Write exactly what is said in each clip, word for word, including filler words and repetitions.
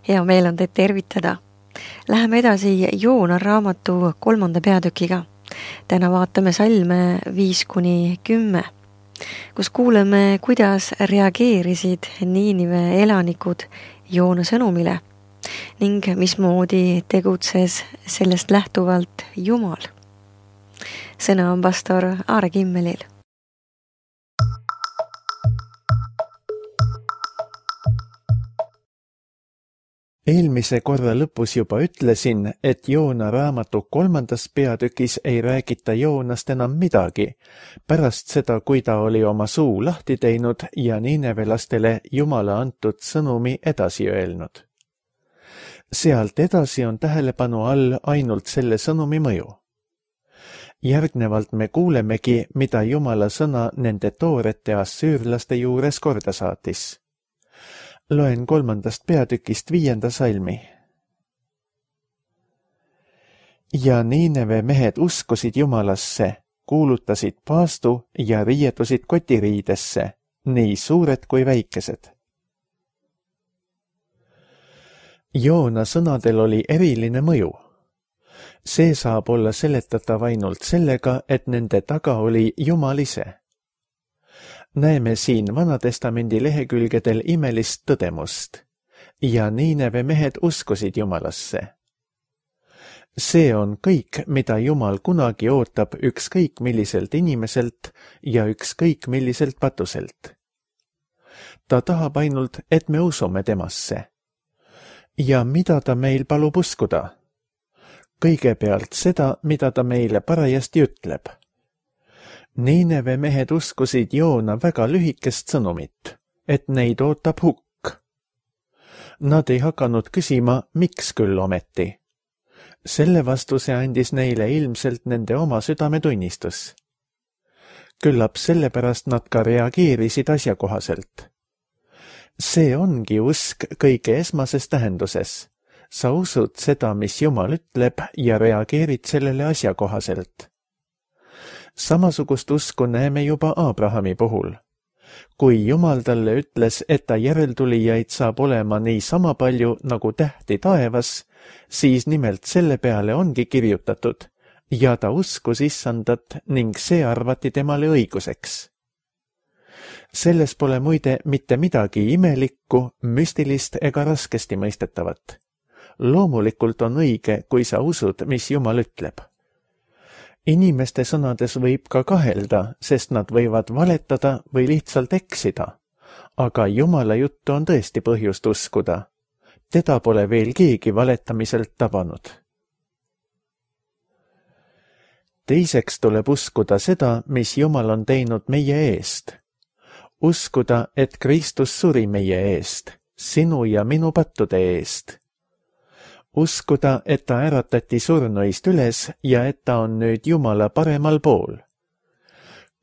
Hea meel on teid tervitada. Läheme edasi Joona raamatu kolmanda peatükiga. Täna vaatame salme viis kuni kümme, kus kuuleme, kuidas reageerisid Niinive elanikud Joona sõnumile ning mismoodi tegutses sellest lähtuvalt Jumal. Sõna on pastor Aare Kimmelil. Eelmise korra lõpus juba ütlesin, et Joona raamatu kolmandas peatükis ei räägita Joonast enam midagi, pärast seda, kui ta oli oma suu lahti teinud ja niinevelastele Jumala antud sõnumi edasi öelnud. Sealt edasi on tähelepanu all ainult selle sõnumi mõju. Järgnevalt me kuulemegi, mida Jumala sõna nende toorete assüürlaste juures korda saatis. Loen kolmandast peatükist viienda salmi. Ja Niineve mehed uskusid Jumalasse, kuulutasid paastu ja riietusid kotiriidesse, nii suured kui väikesed. Joona sõnadel oli eriline mõju. See saab olla seletatav ainult sellega, et nende taga oli Jumal ise. Näeme siin Vanatestamendi lehekülgedel imelist tõdemust. Ja Niineve mehed uskusid Jumalasse. See on kõik, mida Jumal kunagi ootab ükskõik milliselt inimeselt ja ükskõik milliselt patuselt. Ta tahab ainult, et me usume temasse. Ja mida ta meil palub uskuda? Kõigepealt seda, mida ta meile parajasti ütleb. Niineve mehed uskusid Joona väga lühikest sõnumit, et neid ootab hukk. Nad ei hakanud küsima, miks küll ometi. Selle vastuse andis neile ilmselt nende oma südametunnistus. Küllap sellepärast nad ka reageerisid asjakohaselt. See ongi usk kõige esmases tähenduses. Sa usud seda, mis Jumal ütleb ja reageerid sellele asjakohaselt. Samasugust usku näeme juba Abrahami puhul. Kui Jumal talle ütles, et ta järeltulijaid saab olema nii sama palju nagu tähti taevas, siis nimelt selle peale ongi kirjutatud ja ta uskus Issandat ning see arvati temale õiguseks. Selles pole muide mitte midagi imelikku, müstilist ega raskesti mõistetavat. Loomulikult on õige, kui sa usud, mis Jumal ütleb. Inimeste sõnades võib ka kahelda, sest nad võivad valetada või lihtsalt eksida. Aga Jumala juttu on tõesti põhjust uskuda. Teda pole veel keegi valetamiselt tabanud. Teiseks tuleb uskuda seda, mis Jumal on teinud meie eest. Uskuda, et Kristus suri meie eest, sinu ja minu pattude eest. Uskuda, et ta äratati surnuist üles ja et ta on nüüd Jumala paremal pool.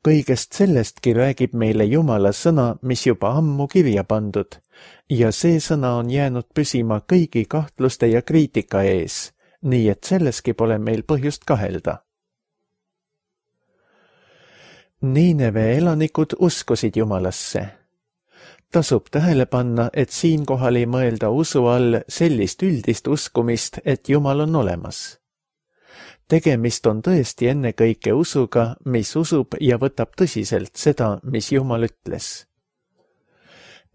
Kõigest sellestki räägib meile Jumala sõna, mis juba ammu kirja pandud, ja see sõna on jäänud püsima kõigi kahtluste ja kriitika ees, nii et selleski pole meil põhjust kahelda. Niineve elanikud uskusid Jumalasse. Tasub tähele panna, et siinkohal ei mõelda usu all sellist üldist uskumist, et Jumal on olemas. Tegemist on tõesti ennekõike usuga, mis usub ja võtab tõsiselt seda, mis Jumal ütles.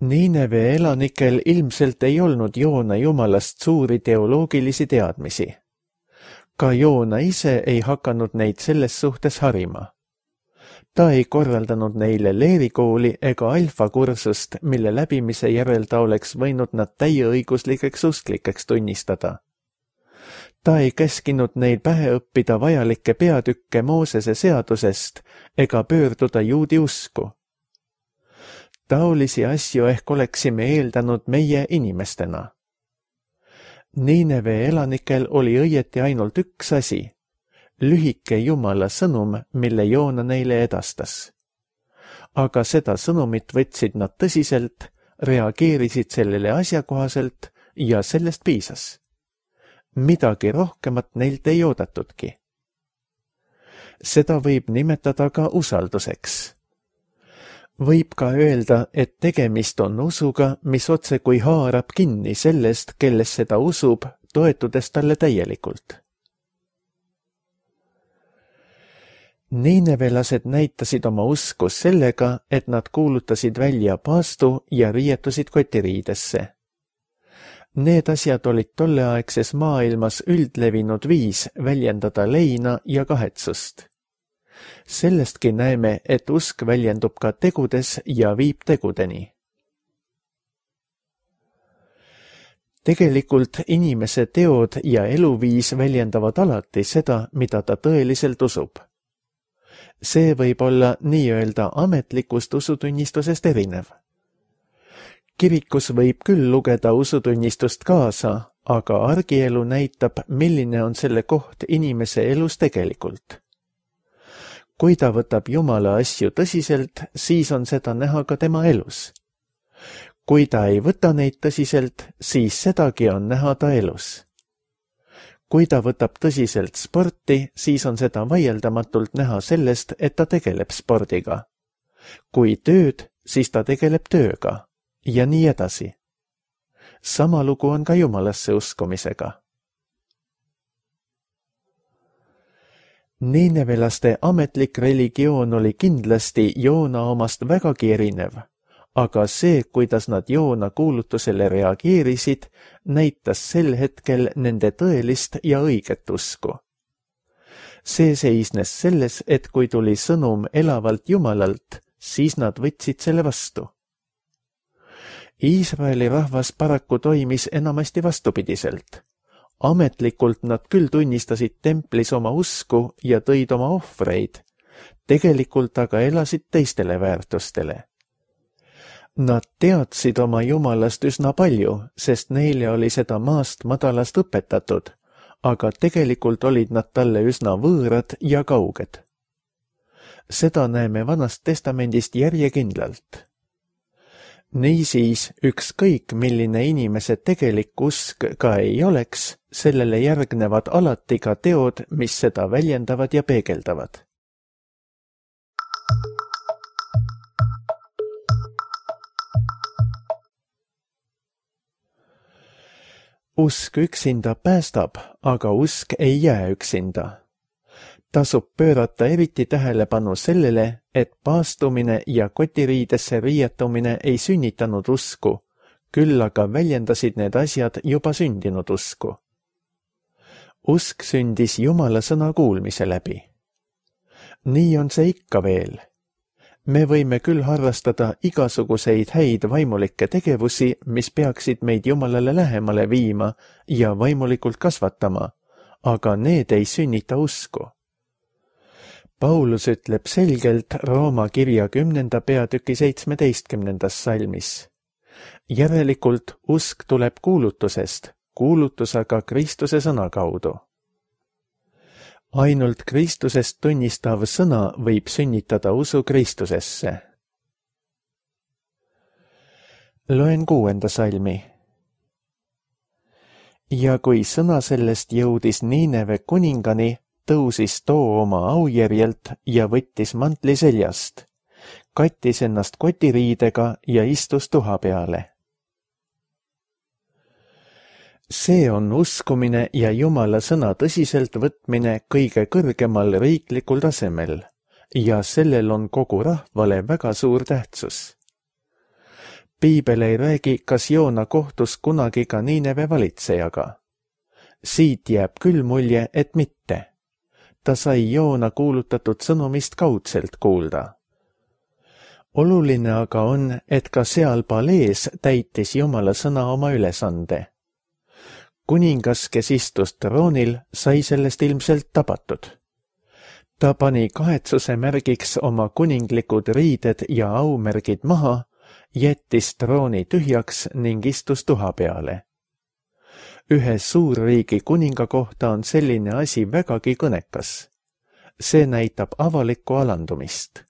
Niineve elanikel ilmselt ei olnud Joona Jumalast suuri teoloogilisi teadmisi. Ka Joona ise ei hakanud neid selles suhtes harima. Ta ei korraldanud neile leerikooli ega alfakursust, mille läbimise järel ta oleks võinud nad täieõiguslikeks usklikeks tunnistada. Ta ei käskinud neil pähe õppida vajalikke peatükke Moosese seadusest ega pöörduda juudi usku. Taolisi asju ehk oleksime eeldanud meie inimestena. Niineve elanikel oli õieti ainult üks asi. Lühike Jumala sõnum, mille Joona neile edastas. Aga seda sõnumit võtsid nad tõsiselt, reageerisid sellele asjakohaselt ja sellest piisas. Midagi rohkemat neilt ei oodatudki. Seda võib nimetada ka usalduseks. Võib ka öelda, et tegemist on usuga, mis otse kui haarab kinni sellest, kelles seda usub, toetudes talle täielikult. Niinevelased näitasid oma usku sellega, et nad kuulutasid välja paastu ja riietusid kotiriidesse. Need asjad olid tolleaegses maailmas üldlevinud viis väljendada leina ja kahetsust. Sellestki näeme, et usk väljendub ka tegudes ja viib tegudeni. Tegelikult inimese teod ja eluviis väljendavad alati seda, mida ta tõeliselt usub. See võib olla nii-öelda ametlikust usutunnistusest erinev. Kirikus võib küll lugeda usutunnistust kaasa, aga argielu näitab, milline on selle koht inimese elus tegelikult. Kui ta võtab Jumala asju tõsiselt, siis on seda näha ka tema elus. Kui ta ei võta neid tõsiselt, siis sedagi on näha ta elus. Kui ta võtab tõsiselt sporti, siis on seda vaieldamatult näha sellest, et ta tegeleb spordiga. Kui tööd, siis ta tegeleb tööga. Ja nii edasi. Sama lugu on ka Jumalasse uskumisega. Niinevelaste ametlik religioon oli kindlasti Joona omast vägagi erinev, aga see, kuidas nad Joona kuulutusele reageerisid, näitas sel hetkel nende tõelist ja õiget usku. See seisnes selles, et kui tuli sõnum elavalt Jumalalt, siis nad võtsid selle vastu. Iisraeli rahvas paraku toimis enamasti vastupidiselt. Ametlikult nad küll tunnistasid templis oma usku ja tõid oma ohvreid, tegelikult aga elasid teistele väärtustele. Nad teadsid oma Jumalast üsna palju, sest neile oli seda maast madalast õpetatud, aga tegelikult olid nad talle üsna võõrad ja kauged. Seda näeme Vanast Testamendist järjekindlalt. Niisiis, ükskõik milline inimese tegelik usk ka ei oleks, sellele järgnevad alati ka teod, mis seda väljendavad ja peegeldavad. Usk üksinda päästab, aga usk ei jää üksinda. Tasub pöörata eriti tähelepanu sellele, et paastumine ja kotiriidesse riietumine ei sünnitanud usku, küll aga väljendasid need asjad juba sündinud usku. Usk sündis Jumala sõna kuulmise läbi. Nii on see ikka veel. Me võime küll harrastada igasuguseid häid vaimulikke tegevusi, mis peaksid meid Jumalale lähemale viima ja vaimulikult kasvatama, aga need ei sünnita usku. Paulus ütleb selgelt Rooma kirja kümnenda peatüki seitsmeteistkümnendas salmis. Järelikult usk tuleb kuulutusest, kuulutus aga Kristuse sõna kaudu. Ainult Kristusest tunnistav sõna võib sünnitada usu Kristusesse. Loen kuuenda salmi. Ja kui sõna sellest jõudis Niineve kuningani, tõusis too oma aujärjelt ja võttis mantli seljast, kattis ennast kotiriidega ja istus tuha peale. See on uskumine ja Jumala sõna tõsiselt võtmine kõige kõrgemal riiklikul tasemel ja sellel on kogu rahvale väga suur tähtsus. Piibel ei räägi, kas Joona kohtus kunagi ka Niineve valitsejaga. Siit jääb küll mulje, et mitte. Ta sai Joona kuulutatud sõnumist kaudselt kuulda. Oluline aga on, et ka seal palees täitis Jumala sõna oma ülesande. Kuningas, kes istus troonil, sai sellest ilmselt tabatud. Ta pani kahetsuse märgiks oma kuninglikud riided ja aumärgid maha, jättis trooni tühjaks ning istus tuha peale. Ühe suurriigi kuninga kohta on selline asi vägagi kõnekas. See näitab avalikku alandumist.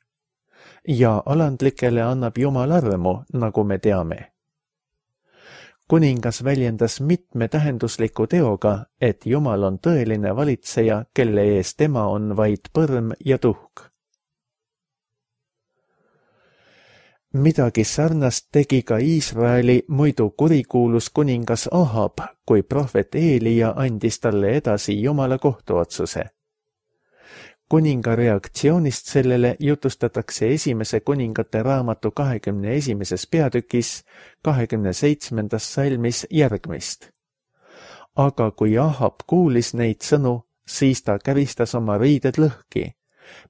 Ja alandlikele annab Jumal armu, nagu me teame. Kuningas väljendas mitme tähendusliku teoga, et Jumal on tõeline valitseja, kelle ees tema on vaid põrm ja tuhk. Midagi sarnast tegi ka Iisraeli muidu kurikuulus kuningas Ahab, kui prohvet Eelia andis talle edasi Jumala kohtuotsuse. Kuninga reaktsioonist sellele jutustatakse esimese kuningate raamatu kahekümne esimeses peatükis kahekümne seitsmendas salmis järgmist. Aga kui Ahab kuulis neid sõnu, siis ta käristas oma riided lõhki,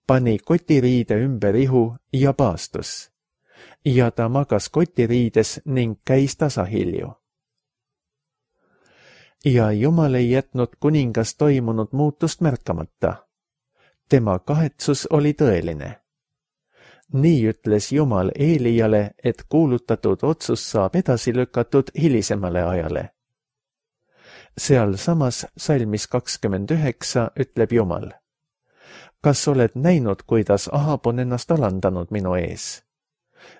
pani kotiriide ümber ihu ja paastus. Ja ta magas kotiriides ning käis tasahilju. Ja Jumal ei jätnud kuningas toimunud muutust märkamata. Tema kahetsus oli tõeline. Nii ütles Jumal Eeliale, et kuulutatud otsus saab edasi lükatud hilisemale ajale. Seal samas salmis kakskümmend üheksa ütleb Jumal: kas oled näinud, kuidas Ahab on ennast alandanud minu ees?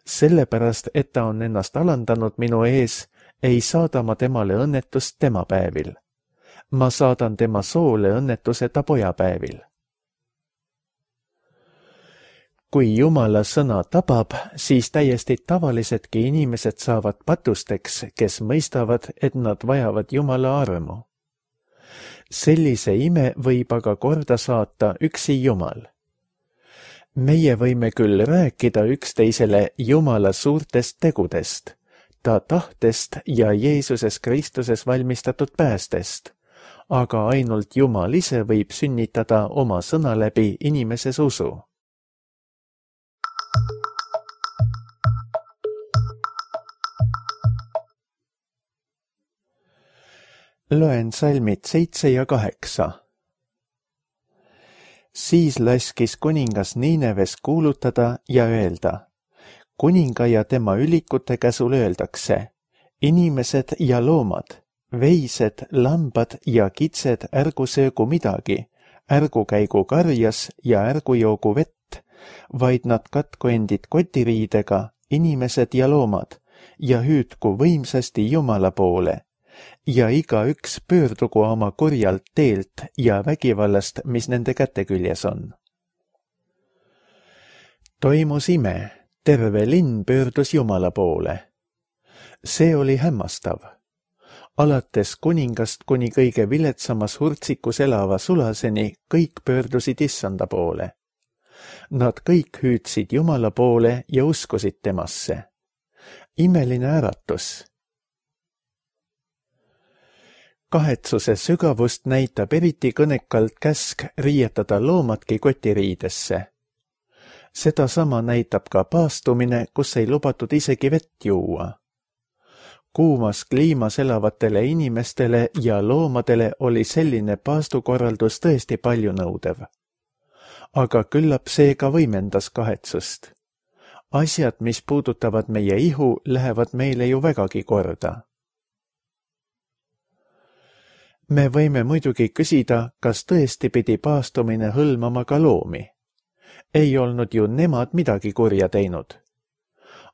Sellepärast, et ta on ennast alandanud minu ees, ei saada ma temale õnnetust tema päevil. Ma saadan tema soole õnnetuse ta pojapäevil. Kui Jumala sõna tabab, siis täiesti tavalisedki inimesed saavad patusteks, kes mõistavad, et nad vajavad Jumala armu. Sellise ime võib aga korda saata üksi Jumal. Meie võime küll rääkida üksteisele Jumala suurtest tegudest, ta tahtest ja Jeesuses Kristuses valmistatud päästest, aga ainult Jumal ise võib sünnitada oma sõna läbi inimeses usu. Loen salmid seitse ja kaheksa. Siis laskis kuningas Niineves kuulutada ja öelda: kuninga ja tema ülikute käsul öeldakse: inimesed ja loomad, veised, lambad ja kitsed ärgu söögu midagi, ärgu käigu karjas ja ärgu joogu vett, vaid nad katku endid kotiriidega, inimesed ja loomad, ja hüüdku võimsasti Jumala poole. Ja igaüks pöördugu oma kurjalt teelt ja vägivallast, mis nende käteküljes on. Toimus ime, terve linn pöördus Jumala poole. See oli hämmastav. Alates kuningast kuni kõige viletsamas hurtsikus elava sulaseni kõik pöördusid Issanda poole. Nad kõik hüüdsid Jumala poole ja uskusid temasse. Imeline äratus. Kahetsuse sügavust näitab eriti kõnekalt käsk riietada loomadki kotiriidesse. Seda sama näitab ka paastumine, kus ei lubatud isegi vett juua. Kuumas kliimas elavatele inimestele ja loomadele oli selline paastukorraldus tõesti palju nõudev. Aga küllap see ka võimendas kahetsust. Asjad, mis puudutavad meie ihu, lähevad meile ju vägagi korda. Me võime muidugi küsida, kas tõesti pidi paastumine hõlmama ka loomi. Ei olnud ju nemad midagi kurja teinud.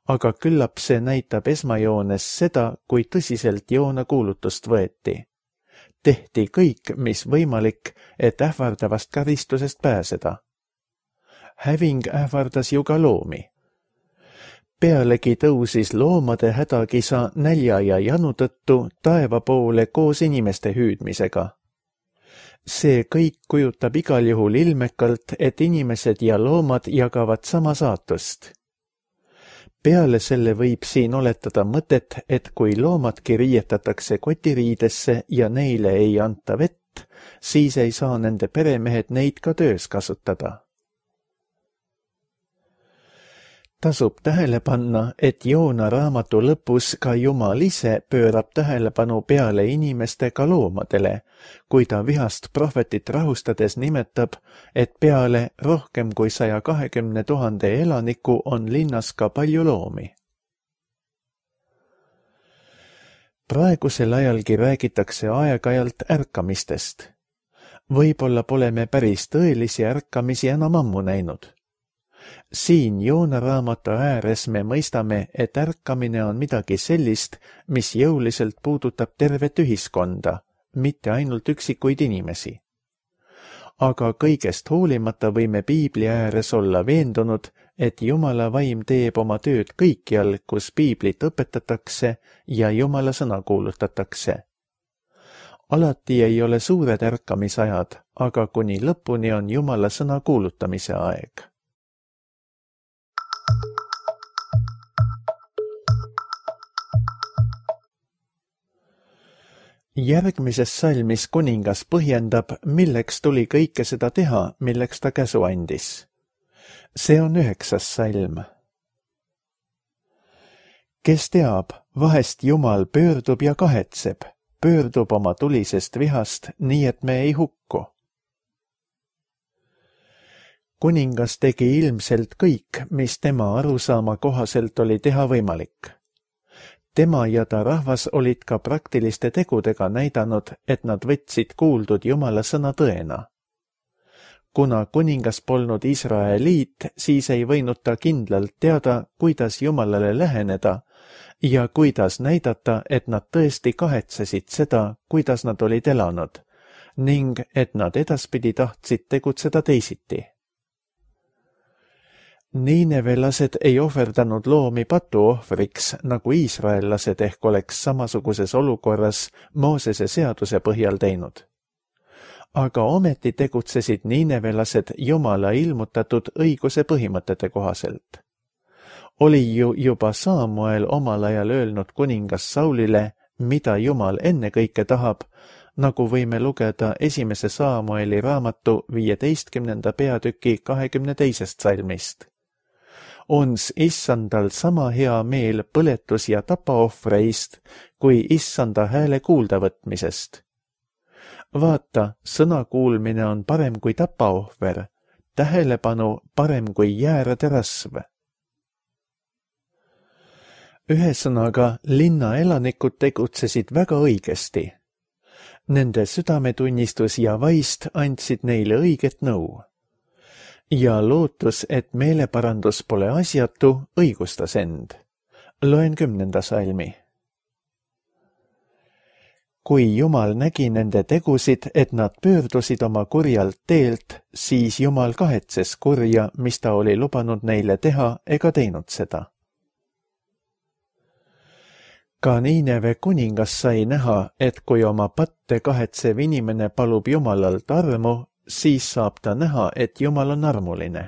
Aga küllap see näitab esmajoones seda, kui tõsiselt Joona kuulutust võeti. Tehti kõik, mis võimalik, et ähvardavast karistusest pääseda. Häving ähvardas ju ka loomi. Pealegi tõusis loomade hädakisa nälja ja janu tõttu taeva poole koos inimeste hüüdmisega. See kõik kujutab igal juhul ilmekalt, et inimesed ja loomad jagavad sama saatust. Peale selle võib siin oletada mõtet, et kui loomadki riietatakse kotiriidesse ja neile ei anta vett, siis ei saa nende peremehed neid ka töös kasutada. Tasub tähele panna, et Joona raamatu lõpus ka Jumal ise pöörab tähelepanu peale inimeste ka loomadele, kui ta vihast prohvetit rahustades nimetab, et peale rohkem kui saja kahekümne tuhande elaniku on linnas ka palju loomi. Praegusel ajalgi räägitakse aeg-ajalt ärkamistest. Võib-olla pole me päris tõelisi ärkamisi enam ammu näinud. Siin Joona raamatu ääres me mõistame, et ärkamine on midagi sellist, mis jõuliselt puudutab tervet ühiskonda, mitte ainult üksikuid inimesi. aga kõigest hoolimata võime piibli ääres olla veendunud, et Jumala vaim teeb oma tööd kõikjal, kus piiblit õpetatakse ja Jumala sõna kuulutatakse. Alati ei ole suured ärkamisajad, aga kuni lõpuni on Jumala sõna kuulutamise aeg. Järgmises salmis kuningas põhjendab, milleks tuli kõike seda teha, milleks ta käsu andis. See on üheksas salm. Kes teab, vahest Jumal pöördub ja kahetseb, pöördub oma tulisest vihast, nii et me ei hukku. Kuningas tegi ilmselt kõik, mis tema arusaama kohaselt oli teha võimalik. Tema ja ta rahvas olid ka praktiliste tegudega näidanud, et nad võtsid kuuldud Jumala sõna tõena. Kuna kuningas polnud Iisraeliit, siis ei võinud ta kindlalt teada, kuidas Jumalale läheneda ja kuidas näidata, et nad tõesti kahetsesid seda, kuidas nad olid elanud, ning et nad edaspidi tahtsid tegutseda teisiti. Niinevelased ei ohverdanud loomi patuohvriks, nagu iisraellased ehk oleks samasuguses olukorras Moosese seaduse põhjal teinud. Aga ometi tegutsesid niinevelased Jumala ilmutatud õiguse põhimõtete kohaselt. Oli ju juba Saamuel omal ajal öelnud kuningas Saulile, mida Jumal ennekõike tahab, nagu võime lugeda esimese Saamueli raamatu viieteistkümnenda peatüki kahekümne teisest salmist. Ons issandal sama hea meel põletus- ja tapaohvreist, kui issanda hääle kuuldavõtmisest. Vaata, sõna kuulmine on parem kui tapaohver, tähelepanu parem kui jäärade rasv. Ühesõnaga, linna elanikud tegutsesid väga õigesti. Nende südametunnistus ja vaist andsid neile õiget nõu. Ja lootus, et meeleparandus pole asjatu, õigustas end. Loen kümnenda salmi. Kui Jumal nägi nende tegusid, et nad pöördusid oma kurjalt teelt, siis Jumal kahetses kurja, mis ta oli lubanud neile teha, ega teinud seda. Ka Niineve kuningas sai näha, et kui oma patte kahetsev inimene palub Jumalalt armu, siis saab ta näha, et Jumal on armuline.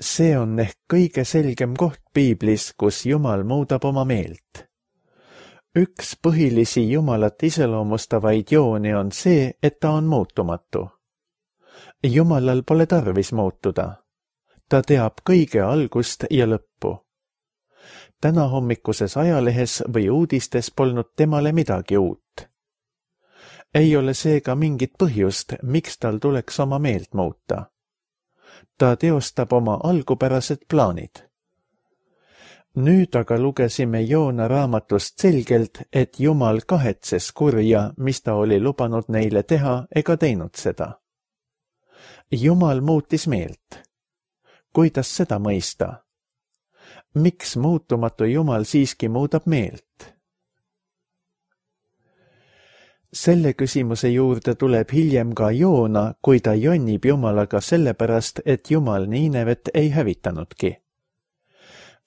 See on ehk kõige selgem koht piiblis, kus Jumal muudab oma meelt. Üks põhilisi Jumalat iseloomustavaid jooni on see, et ta on muutumatu. Jumalal pole tarvis muutuda. Ta teab kõige algust ja lõppu. Täna hommikuses ajalehes või uudistes polnud temale midagi uut. Ei ole seega mingit põhjust, miks tal tuleks oma meelt muuta. Ta teostab oma algupärased plaanid. Nüüd aga lugesime Joona raamatust selgelt, et Jumal kahetses kurja, mis ta oli lubanud neile teha, ega teinud seda. Jumal muutis meelt. Kuidas seda mõista? Miks muutumatu Jumal siiski muudab meelt? Selle küsimuse juurde tuleb hiljem ka Joona, kui ta jonnib Jumalaga sellepärast, et Jumal Niinevet ei hävitanudki.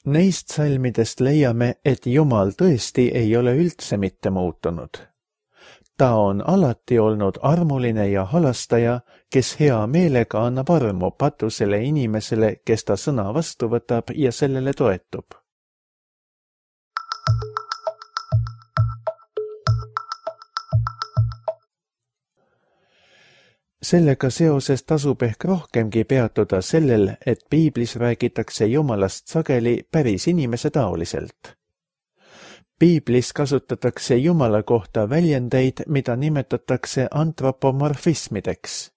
Neist salmidest leiame, et Jumal tõesti ei ole üldse mitte muutunud. Ta on alati olnud armuline ja halastaja, kes hea meelega annab armu patusele inimesele, kes ta sõna vastu võtab ja sellele toetub. Sellega seoses tasub ehk rohkemgi peatuda sellel, et piiblis räägitakse Jumalast sageli päris inimese taoliselt. Piiblis kasutatakse Jumala kohta väljendeid, mida nimetatakse antropomorfismideks.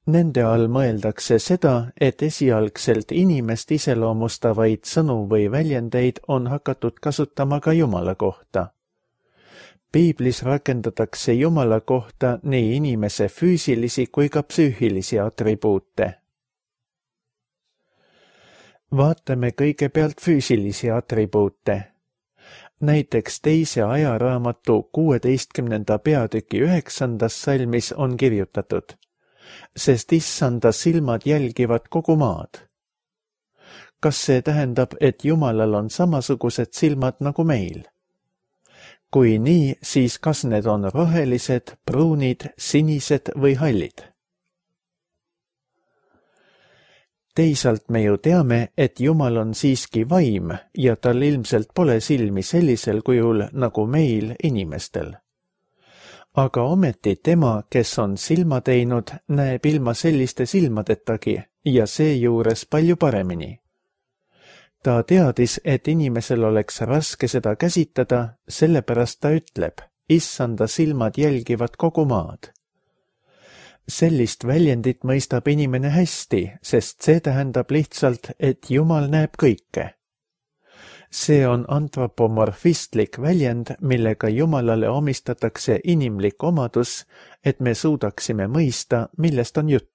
Nende all mõeldakse seda, et esialgselt inimest iseloomustavaid sõnu või väljendeid on hakatud kasutama ka Jumala kohta. Piiblis rakendatakse Jumala kohta nii inimese füüsilisi kui ka psüühilisi atribuute. Vaatame kõigepealt füüsilisi atribuute. Näiteks teise ajaraamatu kuueteistkümnenda peatüki üheksandas salmis on kirjutatud, sest issanda silmad jälgivad kogu maad. Kas see tähendab, et Jumalal on samasugused silmad nagu meil? Kui nii, siis kas need on rohelised, pruunid, sinised või hallid? Teisalt me ju teame, et Jumal on siiski vaim ja tal ilmselt pole silmi sellisel kujul nagu meil inimestel. Aga ometi tema, kes on silma teinud, näeb ilma selliste silmadetagi ja seejuures palju paremini. Ta teadis, et inimesel oleks raske seda käsitada, sellepärast ta ütleb, issanda silmad jälgivad kogu maad. Sellist väljendit mõistab inimene hästi, sest see tähendab lihtsalt, et Jumal näeb kõike. See on antropomorfistlik väljend, millega Jumalale omistatakse inimlik omadus, et me suudaksime mõista, millest on jutt.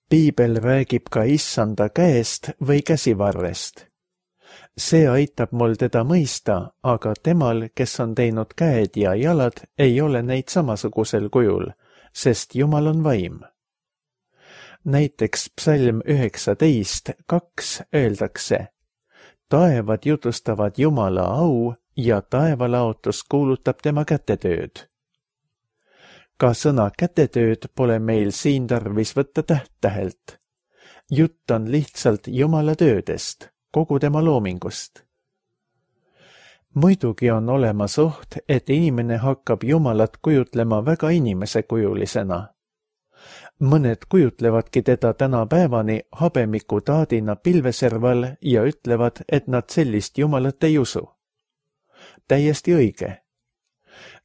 Piibel räägib ka issanda käest või käsivarrest. See aitab mul teda mõista, aga temal, kes on teinud käed ja jalad, ei ole neid samasugusel kujul, sest Jumal on vaim. Näiteks psalm üheksateist kaks öeldakse, taevad jutustavad Jumala au ja taevalaotus kuulutab tema kätetööd. Ka sõna kätetööd pole meil siin tarvis võtta täht-tähelt. Jutt on lihtsalt Jumala töödest, kogu tema loomingust. Muidugi on olemas oht, et inimene hakkab Jumalat kujutlema väga inimesekujulisena. Mõned kujutlevadki teda tänapäevani habemiku taadina pilveserval ja ütlevad, et nad sellist Jumalat ei usu. Täiesti õige.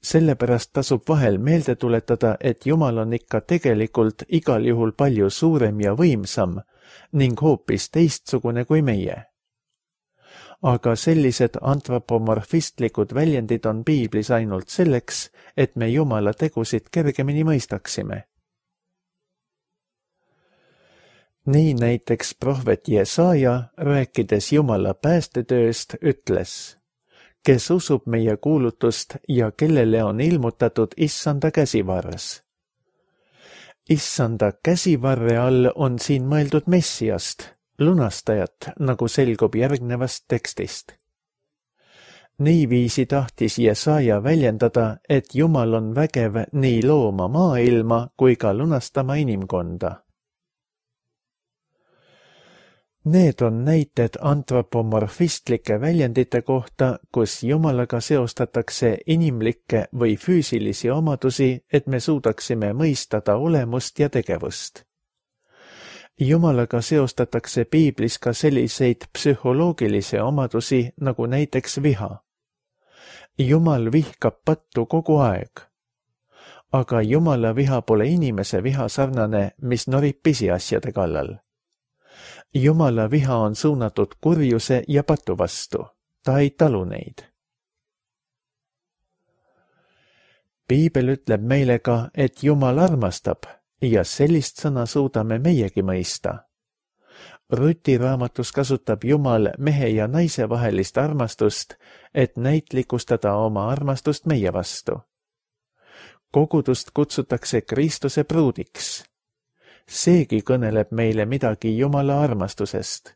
Sellepärast tasub vahel meelde tuletada, et Jumal on ikka tegelikult igal juhul palju suurem ja võimsam ning hoopis teistsugune kui meie. Aga sellised antropomorfistlikud väljendid on piiblis ainult selleks, et me Jumala tegusid kergemini mõistaksime. Nii näiteks prohvet Jesaja, rääkides Jumala päästetööst, ütles, kes usub meie kuulutust ja kellele on ilmutatud issanda käsivarres. Issanda käsivarre all on siin mõeldud Messiast, lunastajat, nagu selgub järgnevast tekstist. Niiviisi tahtis Jesaja väljendada, et Jumal on vägev nii looma maailma kui ka lunastama inimkonda. Need on näited antropomorfistlike väljendite kohta, kus Jumalaga seostatakse inimlikke või füüsilisi omadusi, et me suudaksime mõista ta olemust ja tegevust. Jumalaga seostatakse piiblis ka selliseid psühholoogilisi omadusi, nagu näiteks viha. Jumal vihkab pattu kogu aeg. Aga Jumala viha pole inimese viha sarnane, mis norib pisiasjade kallal. Jumala viha on suunatud kurjuse ja patu vastu. Ta ei talu neid. Piibel ütleb meile ka, et Jumal armastab ja sellist sõna suudame meiegi mõista. Ruti raamatus kasutab Jumal mehe ja naise vahelist armastust, et näitlikustada oma armastust meie vastu. Kogudust kutsutakse Kristuse pruudiks. Seegi kõneleb meile midagi Jumala armastusest.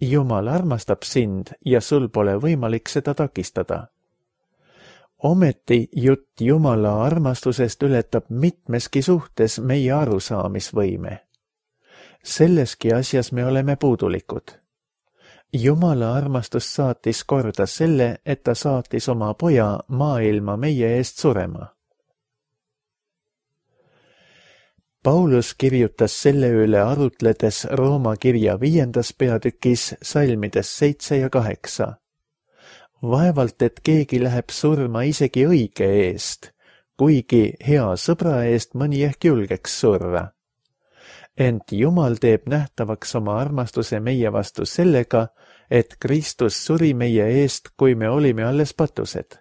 Jumal armastab sind ja sul pole võimalik seda takistada. Ometi jutt Jumala armastusest ületab mitmeski suhtes meie arusaamisvõime. Selleski asjas me oleme puudulikud. Jumala armastus saatis korda selle, et ta saatis oma poja maailma meie eest surema. Paulus kirjutas selle üle arutledes Rooma kirja viiendas peatükis salmides seitse ja kaheksa. Vaevalt, et keegi läheb surma isegi õige eest, kuigi hea sõbra eest mõni ehk julgeks surra. Ent Jumal teeb nähtavaks oma armastuse meie vastu sellega, et Kristus suri meie eest, kui me olime alles patused.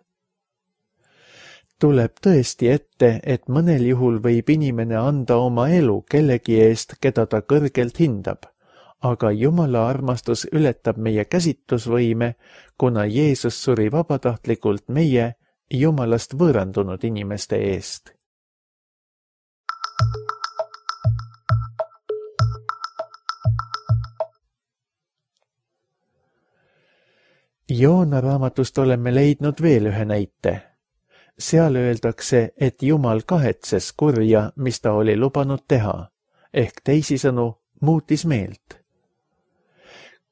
Tuleb tõesti ette, et mõnel juhul võib inimene anda oma elu kellegi eest, keda ta kõrgelt hindab, aga Jumala armastus ületab meie käsitlusvõime, kuna Jeesus suri vabatahtlikult meie, Jumalast võõrandunud inimeste eest. Joona raamatust oleme leidnud veel ühe näite. Seal öeldakse, et Jumal kahetses kurja, mis ta oli lubanud teha, ehk teisisõnu muutis meelt.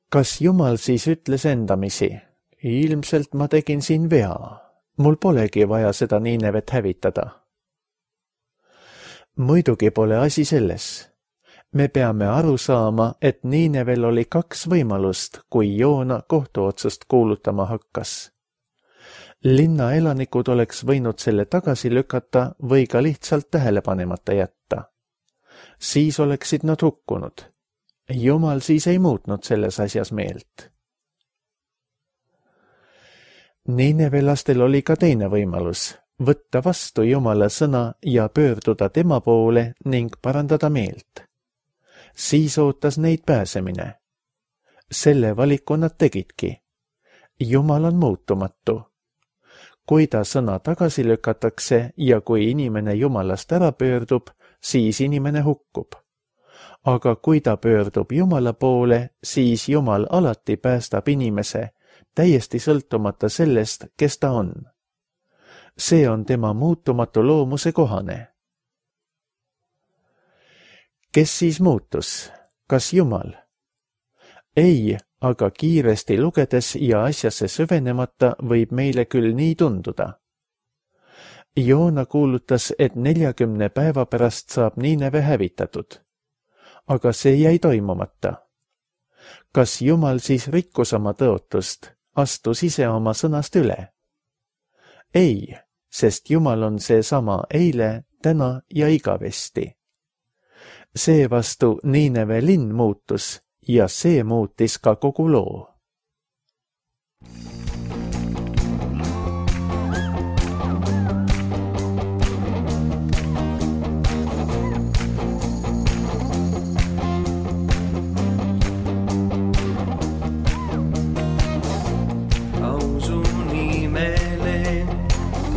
Kas Jumal siis ütles endamisi, ilmselt ma tegin siin vea, mul polegi vaja seda Niinevet hävitada? Muidugi pole asi selles. Me peame aru saama, et Niinevel oli kaks võimalust, kui Joona kohtuotsust kuulutama hakkas. Linna elanikud oleks võinud selle tagasi lükata või ka lihtsalt tähelepanemata jätta. Siis oleksid nad hukkunud. Jumal siis ei muutnud selles asjas meelt. Niineve lastel oli ka teine võimalus, võtta vastu Jumala sõna ja pöörduda tema poole ning parandada meelt. Siis ootas neid pääsemine. Selle valiku nad tegidki. Jumal on muutumatu. Kui ta sõna tagasi lükatakse ja kui inimene Jumalast ära pöördub, siis inimene hukkub. Aga kui ta pöördub Jumala poole, siis Jumal alati päästab inimese, täiesti sõltumata sellest, kes ta on. See on tema muutumatu loomuse kohane. Kes siis muutus? Kas Jumal? Ei, aga kiiresti lugedes ja asjasse süvenemata võib meile küll nii tunduda. Joona kuulutas, et neljakümne päeva pärast saab Niineve hävitatud. Aga see jäi toimumata. Kas Jumal siis rikkus oma tõotust, astus ise oma sõnast üle? Ei, sest Jumal on seesama eile, täna ja igavesti. Seevastu Niineve linn muutus ja see muutis ka kogu loo. Ausu nimele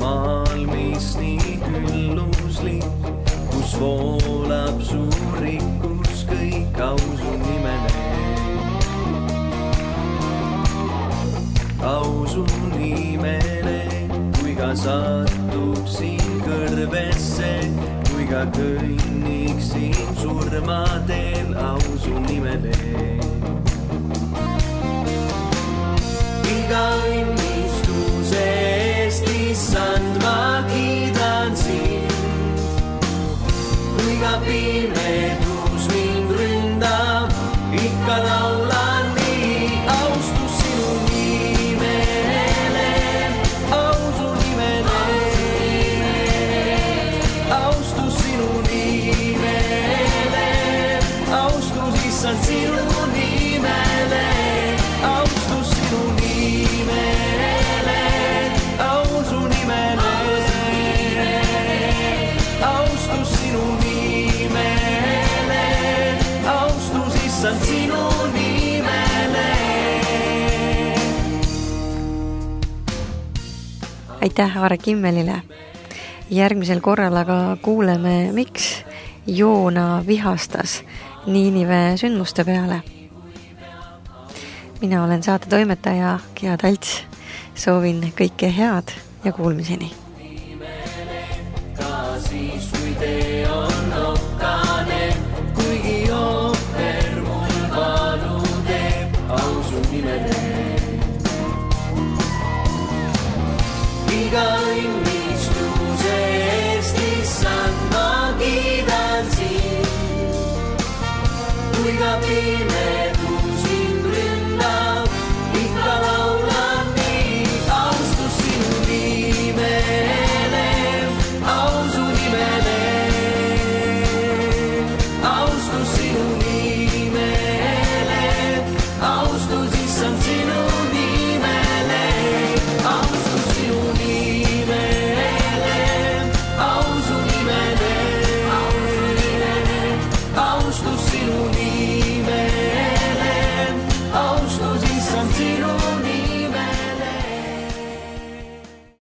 maal, mis nii hülluslik, kus voolab suur rikkus kõik ausu nimele. Ausu nimele, kui ka satuksin kõrvesse, kui ka kõnniksin surmadel ausu nimele. Iga õnnistuse eest, issand, ma kiidan sind. Kui ka pimedus mind ründab, ikka laulan nii. Austus sinu nimele, ausu nimele. Austus sinu nimele, austus issand sinu nimele. Austus sinu nimele, ausu nimele. Austus sinu nimele, austus issand sinu nimele. Aitäh Aare Kimmelile. Järgmisel korral aga kuuleme, miks Joona vihastas Niinive sündmuste peale. Mina olen saate toimetaja Gea Talts. Soovin kõike head ja kuulmiseni. Ka siis, kui tee on okkane, kuigi ohver mul valu teeb, ausu nimele. Iga õnnistuse eest, issand, ma kiidan sind. Kui ka pime